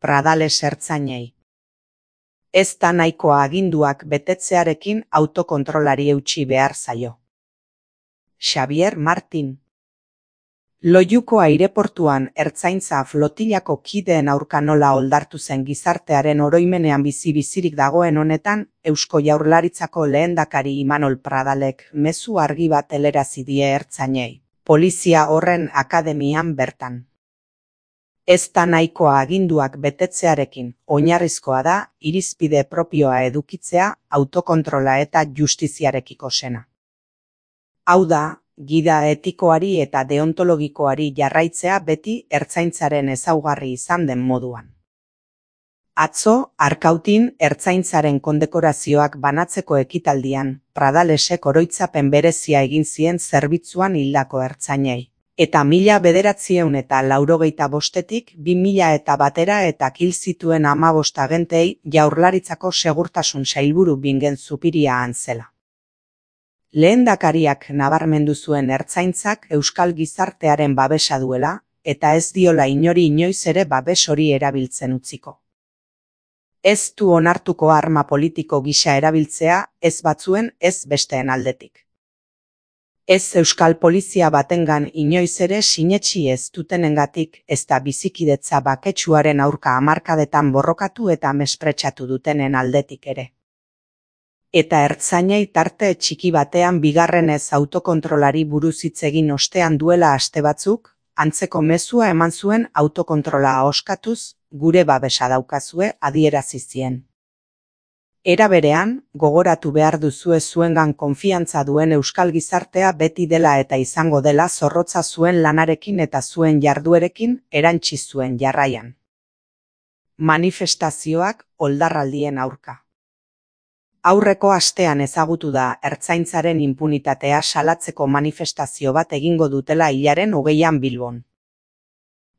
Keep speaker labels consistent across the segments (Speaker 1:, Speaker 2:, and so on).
Speaker 1: Pradales ertzainei. Ez da nahikoa aginduak betetzearekin autokontrolari eutsi behar zaio. Xavier Martin. Loiuko aireportuan ertzaintza flotilako kideen aurka nola oldartu zen gizartearen oroimenean bizi-bizirik dagoen honetan, Eusko Jaurlaritzako lehendakari Imanol Pradalek mezu argi bat helarazi die ertzainei, polizia horren akademian bertan. Ez da nahikoa aginduak betetzearekin, oinarrizkoa da irizpide propioa edukitzea autokontrola eta justiziarekiko sena. Hau da, gida etikoari eta deontologikoari jarraitzea beti ertzaintzaren ezaugarri izan den moduan. Atzo, Arkautin ertzaintzaren kondekorazioak banatzeko ekitaldian, Pradalesek oroitzapen berezia egin zien zerbitzuan hildako ertzainei. Eta 1985-etik 2001 eta hil zituen 15 agentei Jaurlaritzako segurtasun sailburu Bingen Zupiria Antzela. Lehendakariak nabarmendu zuen ertzaintzak euskal gizartearen babesa duela, eta ez diola inori inoiz ere babes hori erabiltzen utziko. Ez du onartuko arma politiko gisa erabiltzea, ez batzuen, ez besteen aldetik. Ez euskal polizia batengan inoiz ere sinetsi ez dutenengatik, ez da bizikidetza baketsuaren aurka hamarkadetan borrokatu eta mespretsatu dutenen aldetik ere. Eta ertzainei tarte txiki batean bigarrenez autokontrolari buruz hitz egin ostean duela aste batzuk, antzeko mezua eman zuen autokontrola ahoskatuz, gure babesa daukazue adierazi zien. Era berean, gogoratu behar duzue zuengan konfiantza duen euskal gizartea beti dela eta izango dela zorrotza zuen lanarekin eta zuen jarduerekin erantsi zuen jarraian. Manifestazioak oldarraldien aurka. Aurreko astean ezagutu da ertzaintzaren inpunitatea salatzeko manifestazio bat egingo dutela hilaren 20an Bilbon.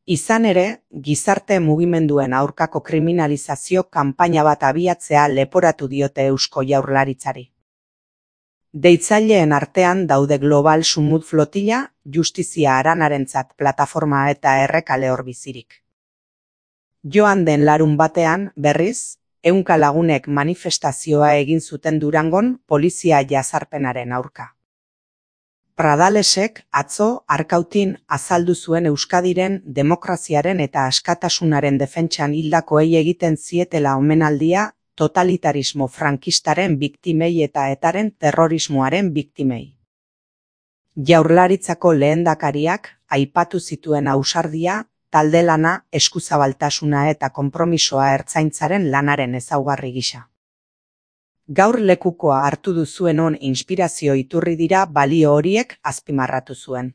Speaker 1: Izan ere, gizarte mugimenduen aurkako kriminalizazio kanpaina bat abiatzea leporatu diote Eusko Jaurlaritzari. Deitzaileen artean daude Global Sumut Flotilla, Justizia Aranarentzat plataforma eta Errekale hor bizirik. Joan den larun batean, berriz, 100 lagunek manifestazioa egin zuten Durangon polizia jazarpenaren aurka. Pradalesek atzo Arkautin azaldu zuen Euskadiren demokraziaren eta askatasunaren defentsan hildakoei egiten zietela omenaldia totalitarismo frankistaren biktimei eta etaren terrorismoaren biktimei. Jaurlaritzako lehendakariak aipatu zituen ausardia, talde lana, eskuzabaltasuna eta konpromisoa ertzaintzaren lanaren ezaugarri gisa. Gaur lekukoa hartu duzuen on inspirazio iturri dira balio horiek azpimarratu zuen.